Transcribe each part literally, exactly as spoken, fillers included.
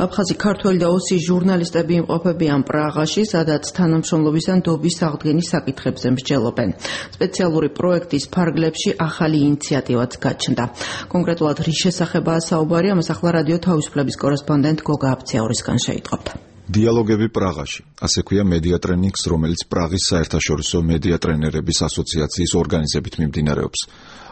აფხაზი ქართველი და ოსი ჟურნალისტები იმყოფებიან პრაღაში, სადაც თანამშრომლობის ან დობის აღდგენის საკითხებზე მსჯელობენ. სპეციალური პროექტის ფარგლებში ახალი ინიციატივაც გაჩნდა. კონკრეტულად რის შესახებაა საუბარი, ამას ახლა რადიო თავისუფლების კორესპონდენტ გოგა აბციაურისგან შეიტყობთ. დიალოგები პრაღაში, ასე ქვია მედია ტრენინგს, რომელიც პრაღის საერთაშორისო მედია ტრენერების ასოციაციის ორგანიზებით მიმდინარეობს.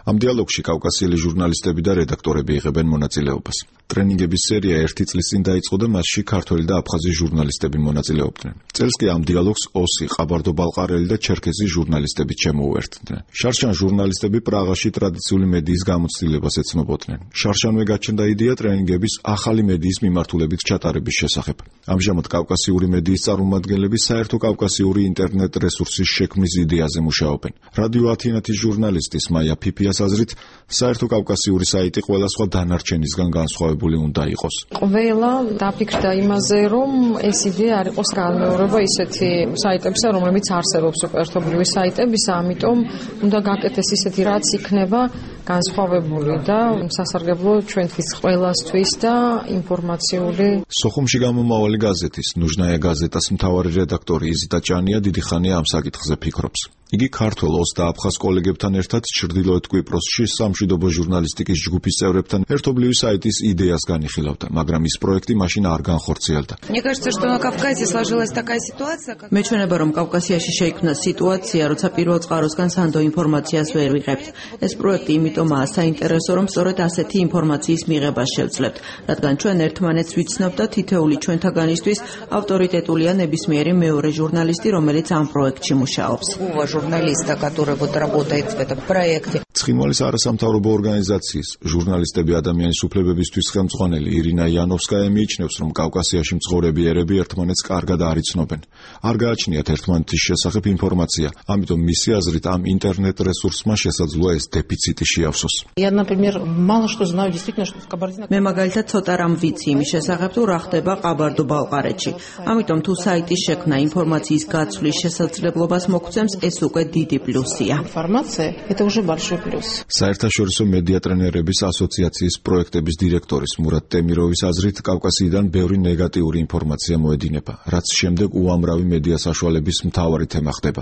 ამ დიალოგში კავკასიელი ჟურნალისტები და რედაქტორები იღებენ მონაწილეობას. ტრენინგების სერია ერთი წლის წინ დაიწყო და მასში ქართველი და აფხაზი ჟურნალისტები მონაწილეობდნენ. წელს კი ამ დიალოგს ოსი, ყაბარდო-ბალყარელი და ჩერქეზი ჟურნალისტები შემოუერთდნენ. შარშან ჟურნალისტები პრაღაში ტრადიციული მედიის გამოცდილებას ეცნობოდნენ. შარშანვე გაჩნდა იდეა ტრენინგების ახალი მედიის მიმართულებით ჩატარების შესახებ. ამჟამად კავკასიური მედიის წარმომადგენლები საერთო კავკასიური ინტერნეტ რესურსის შექმნის იდეაზე მუშაობენ. რადიო ათინათის ჟურნალისტის მაია ფიფიას აზრით, საერთო კავკასიური საიტი ყველა სხვა დანარჩენისგან განსხვავებული უნდა იყოს. ყველა დაფიქრდა იმაზე, რომ ეს იდეა არ იყოს განმეორება ისეთი საიტებისა, რომლებიც არსებობს ერთობლივი საიტებისა, ამიტომ უნდა გაკეთდეს ისეთი, რაც იქნება განსხვავებული და სასარგებლო ჩვენთვის ყველასთვის და ინფორმაციული. სოხუმში გამომავალი გაზეთის ნუჟნაია გაზეტას მთავარი რედაქტორი იზიტა ჭანია დიდი ხანია ამ საკითხზე ფიქრობს. იგი ქართველ ოს და აფხაზ კოლეგებთან ერთად ჩრდილოეთ კვიპროსში სამშვიდობო ჟურნალისტიკის ჯგუფის წევრებთან ერთობლივი საიტის იდეას განიხილავდა, მაგრამ ის პროექტი მაშინ არ განხორციელდა. მეჩვენება, რომ კავკასიაში შეიქმნა სიტუაცია, როცა პირველ წყაროსგან სანდო ინფორმაციას ვერ ვიღებთ. ეს პროექტი იმიტომაა საინტერესო, რომ სწორედ ასეთი ინფორმაციის მიღებას შევძლებთ, რადგან ჩვენ ერთმანეთს ვიცნობთ და თითოეული ჩვენთაგანისთვის ავტორიტეტულია ნებისმიერი მეორე ჟურნალისტი, რომელიც ამ პროექტში მუშაობს. журналиста, который вот работает в этом проекте. ცხინვალის არასამთავრობო ორგანიზაციის ჟურნალისტები ადამიანის უფლებებისთვის ხელმძღვანელი ირინა იანოვსკაია მიიჩნევს, რომ კავკასიაში მცხოვრები ერები ერთმანეთს კარგად არ იცნობენ. არ გააჩნიათ ერთმანეთის შესახებ ინფორმაცია, ამიტომ მისი აზრით ამ ინტერნეტ რესურსმა შესაძლოა ეს დეფიციტი შეავსოს. მე მაგალითად ცოტა რამ ვიცი იმის შესახებ, თუ რა ხდება ყაბარდო-ბალყარეთში. ამიტომ თუ საიტის შექმნა ინფორმაციის გაცვლის შესაძლებლობას მოგცემს, ეს უკვე დიდი პლუსია. საერთაშორისო მედია ტრენერების ასოციაციის პროექტების დირექტორის მურატ ტემიროვის აზრით, კავკასიიდან ბევრი ნეგატიური ინფორმაცია მოედინება, რაც შემდეგ უამრავი მედია საშუალების მთავარი თემა ხდება.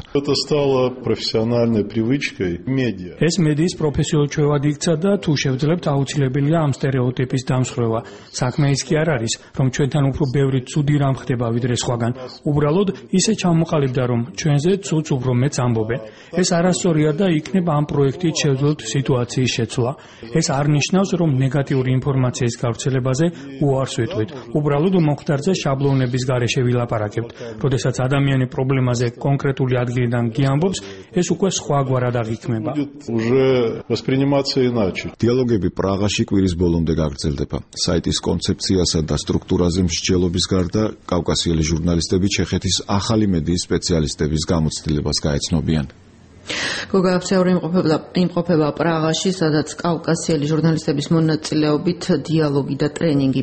ეს მედიის პროფესიულ ჩვევად იქცა და თუ შევძლებთ, აუცილებელია ამ სტერეოტიპის დამსხვრევა. საქმე ის კი არ არის, რომ ჩვენთან უფრო ბევრი ცუდი რამ ხდება ვიდრე სხვაგან. უბრალოდ ისე ჩამოყალიბდა, რომ ჩვენზე ცუდს უფრო მეც ამბობენ. ეს არასწორია და იქნება ამ პროექტით შევძლოთ სიტუაციის შეცვლა. ეს არ ნიშნავს, რომ ნეგატიური ინფორმაციის გავრცელებაზე უარს ვიტყვით. უბრალოდ მომხდარზე შაბლონების გარეშე ვილაპარაკებთ. როდესაც ადამიანი პრობლემაზე კონკრეტული ადგილიდან გიამბობს, ეს უკვე სხვაგვარად აღიქმება. დიალოგები პრაღაში კვირის ბოლომდე გაგრძელდება. საიტის კონცეფციასა და სტრუქტურაზე მსჯელობის გარდა, კავკასიელი ჟურნალისტები ჩეხეთის ახალი მედიის სპეციალისტების გამოცდილებას გაეცნობიან. გოგა აბციაური იმყოფება პრაღაში, სადაც კავკასიელი ჟურნალისტების მონაწილეობით დიალოგი და ტრენინგი